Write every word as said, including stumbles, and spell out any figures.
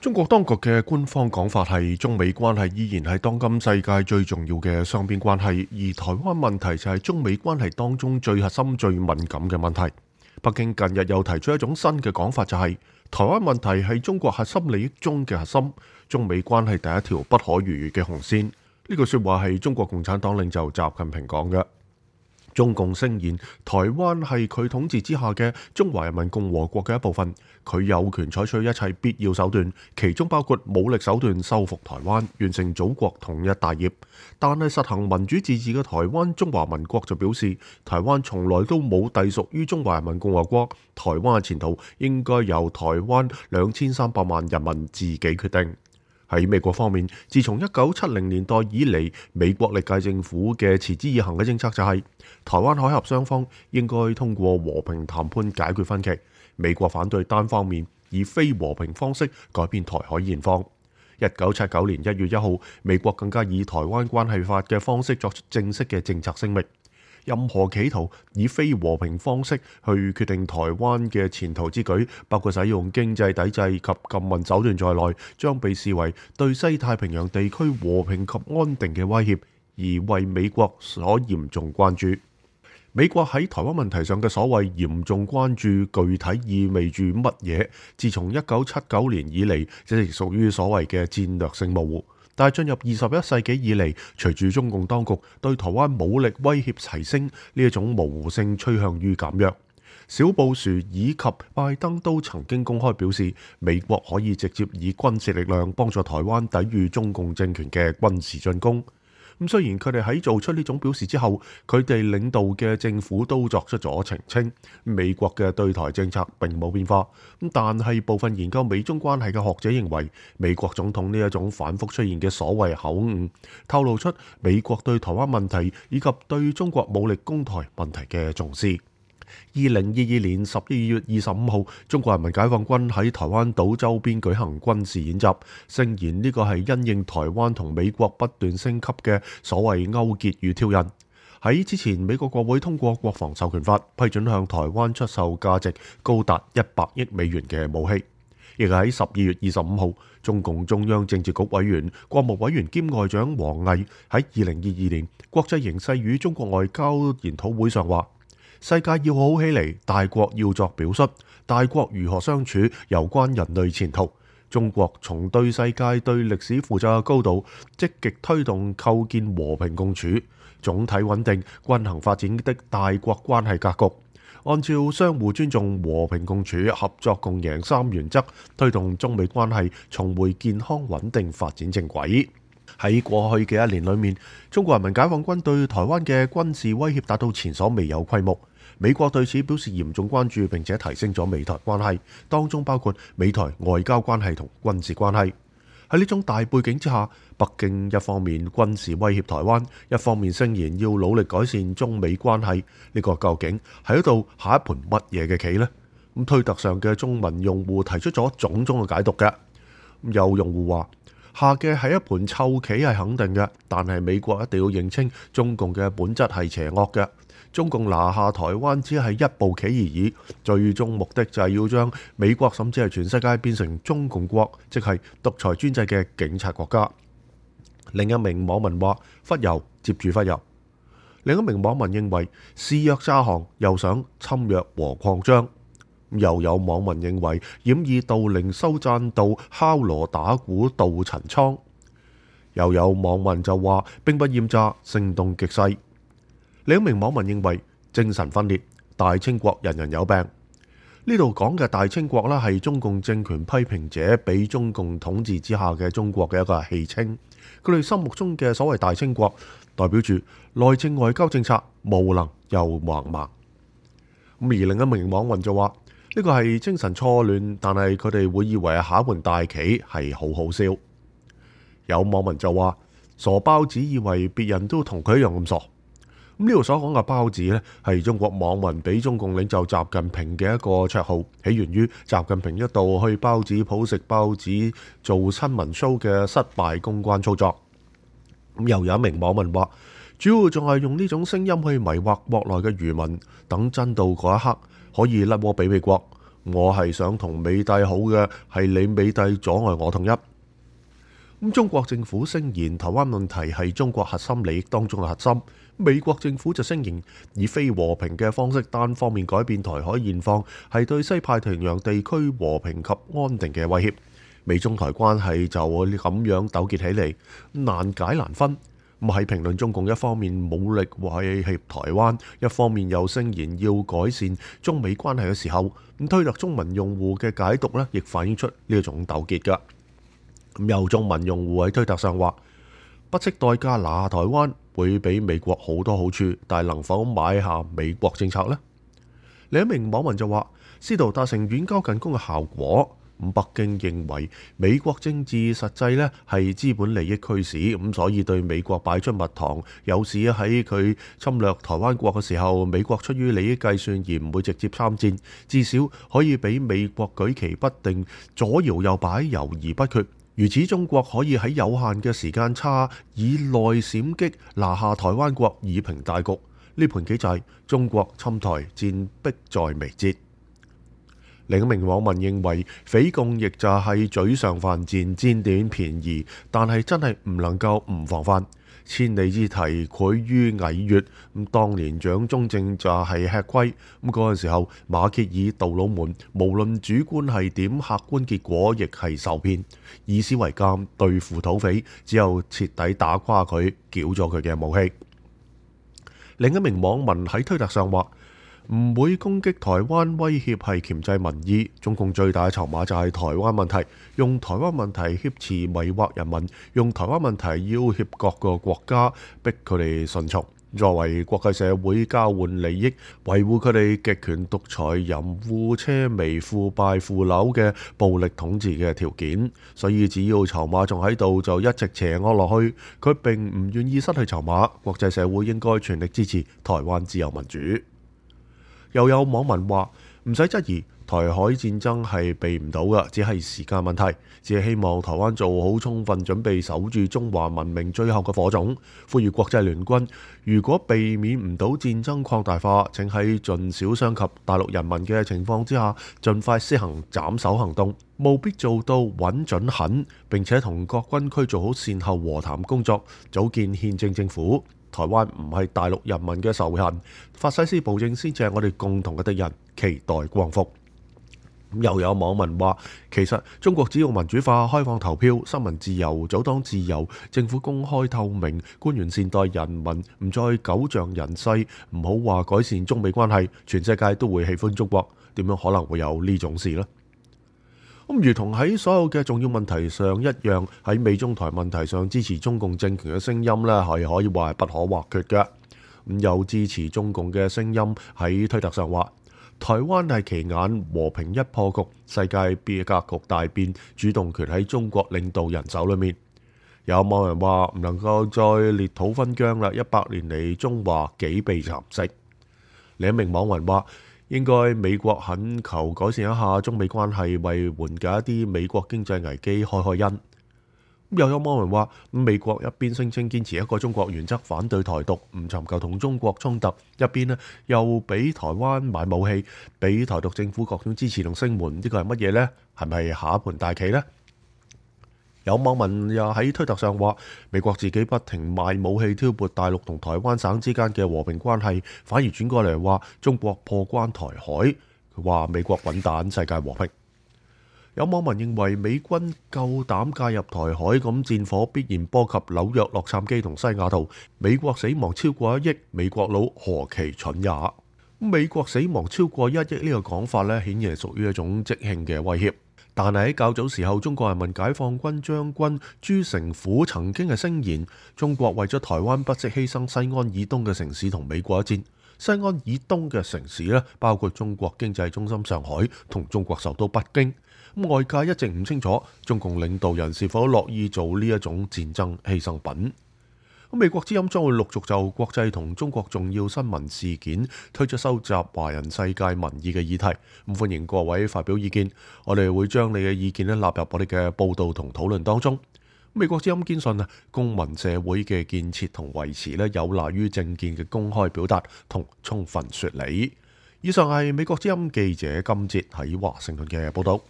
中國當局嘅官方講法係，中美關係依然係當今世界最重要嘅雙邊關係，而台灣問題就係中美關係當中最核心、最敏感嘅問題。北京近日又提出一種新嘅講法，就係台灣問題係中國核心利益中嘅核心，中美關係第一條不可逾越嘅紅線。呢句說話係中國共產黨領袖習近平講嘅。中共聲言台灣係佢統治之下嘅中華人民共和國嘅一部分，佢有權採取一切必要手段，其中包括武力手段收復台灣，完成祖國統一大業。但係實行民主自治嘅台灣中華民國就表示，台灣從來都冇隸屬於中華人民共和國，台灣嘅前途應該由台灣兩千三百萬人民自己決定。喺美國方面，自從一九七零年代以嚟，美國歷屆政府嘅持之以恆嘅政策就係、是、台灣海峽雙方應該通過和平談判解決分歧。美國反對單方面以非和平方式改變台海現況。一九七九年一月一號，美國更加以《台灣關係法》嘅方式作出正式嘅政策聲明。任何企圖以非和平方式去決定台灣嘅前途之舉，包括使用經濟抵制及禁運手段在內，將被視為對西太平洋地區和平及安定嘅威脅，而為美國所嚴重關注。美國喺台灣問題上嘅所謂嚴重關注，具體意味住乜嘢？自從一九七九年以嚟，一直屬於所謂嘅戰略性模糊。但係進入二十一世紀以嚟，隨住中共當局對台灣武力威脅提升，呢一種模糊性趨向於減弱。小布殊以及拜登都曾經公開表示，美國可以直接以軍事力量幫助台灣抵禦中共政權嘅軍事進攻。咁雖然佢哋喺做出呢種表示之後，佢哋領導嘅政府都作出咗澄清，美國嘅對台政策並冇變化。咁但係部分研究美中關係嘅學者認為，美國總統呢一種反覆出現嘅所謂口誤，透露出美國對台灣問題以及對中國武力攻台問題嘅重視。二零二二年十二月二十五號，中國人民解放軍喺台灣島周邊舉行軍事演習，聲言呢個係因應台灣同美國不斷升級嘅所謂勾結與挑釁。喺之前，美國國會通過國防授權法，批准向台灣出售價值高達一百億美元嘅武器。亦喺十二月二十五號，中共中央政治局委員、國務委員兼外長王毅喺二零二二年國際形勢與中國外交研討會上話：世界要好起嚟，大國要作表率，大國如何相處，攸關人類前途。中國從對世界、對歷史負責嘅高度，積極推動構建和平共處、總體穩定、均衡發展的大國關係格局，按照相互尊重、和平共處、合作共贏三原則，推動中美關係重回健康穩定發展正軌。喺過去嘅一年裏面，中國人民解放軍對台灣嘅軍事威脅達到前所未有規模。美國對此表示嚴重關注，並且提升咗美台關係，當中包括美台外交關係同軍事關係。喺呢種大背景之下，北京一方面軍事威脅台灣，一方面聲言要努力改善中美關係，呢個究竟喺度下一盤乜嘢嘅棋呢？咁推特上嘅中文用戶提出咗種種嘅解讀嘅。有用戶話：下嘅係一盤臭棋係肯定嘅，但係美國一定要認清中共嘅本質係邪惡嘅。中共拿下台灣只係一步棋而已，最終目的就係要將美國甚至係全世界變成中共國，即係獨裁專制嘅警察國家。另一名網民話：忽悠接住忽悠。另一名網民認為示弱詐降又想侵略和擴張。又有網民認為掩耳盜鈴收讚道，敲鑼打鼓盜陳倉。又有網民就話兵不厭詐，聲動極細。另一名網民認為精神分裂，大清國人人有病。呢度講嘅大清國啦，係中共政權批評者俾中共統治之下嘅中國嘅一個戲稱。佢哋心目中嘅所謂大清國，代表住內政外交政策無能又橫蠻。咁而另一名網民就話呢個係精神錯亂，但係佢哋會以為下一盤大棋係好好笑。有網民就話傻包子以為別人都同佢一樣咁傻。咁呢度所講嘅包子呢，係中國網民俾中共領袖習近平嘅一個綽號，起源於習近平一度去包子鋪食包子做親民 show 嘅失敗公關操作。咁又有一名網民話，主要仲係用呢種聲音去迷惑國內嘅漁民，等真到嗰一刻可以甩鍋俾美國，我係想同美帝好嘅，係你美帝阻礙我統一。咁中國政府聲言台灣問題係中國核心利益當中嘅核心，美國政府就聲言以非和平嘅方式單方面改變台海現況，係對西太平洋地區和平及安定嘅威脅。美中台關係就咁樣糾結起嚟，難解難分。咁喺評論中共一方面武力威脅台灣，一方面又聲言要改善中美關係嘅時候，咁推特中文用戶嘅解讀呢，亦反映出呢一種糾結㗎。咁有中文用戶喺推特上話：不惜代價拿下台灣，會俾美國好多好處，但係能否買下美國政策呢？另一名網民就話：試圖達成遠交近攻嘅效果。咁北京認為美國政治實際呢係資本利益驅使，咁所以對美國擺出蜜糖。有時喺佢侵略台灣國嘅時候，美國出於利益計算而唔會直接參戰，至少可以俾美國舉棋不定，左搖右擺，猶豫不決。如此，中國可以喺有限嘅時間差以內閃擊拿下台灣國，以平大局。呢盤棋就係中國侵台戰迫在眉睫。另一名網民認為，匪共亦就係嘴上犯賤，佔點便宜，但係真係唔能夠唔防範。千里之堤，潰於蟻穴。咁當年蔣中正就係吃虧。咁嗰陣時候，馬歇爾、杜魯門，無論主觀係點，客觀結果亦係受騙。以史為鑑，對付土匪，只有徹底打垮佢，繳咗佢嘅武器。另一名網民喺推特上話：唔會攻擊台灣，威脅係鉗制民意。中共最大嘅籌碼就係台灣問題，用台灣問題挾持迷惑人民，用台灣問題要挾各個國家，逼佢哋順從，作為國際社會交換利益，維護佢哋極權獨裁、淫污奢靡、腐敗腐朽嘅暴力統治嘅條件。所以只要籌碼仲喺度，就一直邪惡落去。佢並唔願意失去籌碼，國際社會應該全力支持台灣自由民主。又有網民話：唔使質疑，台海戰爭係避唔到嘅，只係時間問題。只係希望台灣做好充分準備，守住中華文明最後嘅火種。呼籲國際聯軍，如果避免唔到戰爭擴大化，請喺盡少傷及大陸人民嘅情況之下，盡快施行斬首行動，務必做到穩準狠，並且同各軍區做好善後和談工作，組建憲政政府。台灣唔係大陸人民嘅仇恨，法西斯暴政先至係我哋共同嘅敵人，期待光復。又有網民話：其實中國只要民主化、開放投票、新聞自由、組黨自由、政府公開透明、官員善待人民，唔再狗仗人勢，唔好話改善中美關係，全世界都會喜歡中國。點樣可能會有呢種事呢？咁如同喺所有嘅重要問題上一樣，喺美中台問題上支持中共政權嘅聲音呢，係可以話係不可或缺嘅。咁有支持中共嘅聲音喺推特上話：台灣係其眼，和平一破局，世界變格局大變，主動權喺中國領導人手裏面。有網民話唔能夠再裂土分疆啦，一百年嚟中華幾被蠶食。另一名網民話：應該美國懇求改善一下中美關係，為緩解一啲美國經濟危機開開恩。又有網民話：美國一邊聲稱堅持一個中國原則，反對台獨，唔尋求同中國衝突；一邊呢又俾台灣買武器，俾台獨政府各種支持同聲援。呢個係乜嘢呢？係咪下一盤大棋呢？有網民又喺推特上話：美國自己不停賣武器挑撥大陸同台灣省之間嘅和平關係，反而轉過嚟話中國破關台海。佢話美國滾蛋，世界和平。有網民認為美軍夠膽介入台海，咁戰火必然波及紐約、洛杉磯同西雅圖，美國死亡超過一億，美國佬何其蠢也！美國死亡超過一億呢個講法呢，顯然係屬於一種即興嘅威脅。但係喺較早時候，中國人民解放軍將軍朱成虎曾經係聲言，中國為咗台灣不惜犧牲西安以東嘅城市同美國一戰。西安以東嘅城市呢，包括中國經濟中心上海同中國首都北京。外界一直唔清楚中共領導人是否樂意做呢一種戰爭犧牲品。美國之音將會陸續就國際同中國重要新聞事件推出收集華人世界民意嘅議題，咁歡迎各位發表意見，我哋會將你嘅意見咧納入我哋嘅報道同討論當中。美國之音堅信啊，公民社會嘅建設同維持咧有賴於政見嘅公開表達同充分說理。以上係美國之音記者金哲喺華盛頓嘅報道。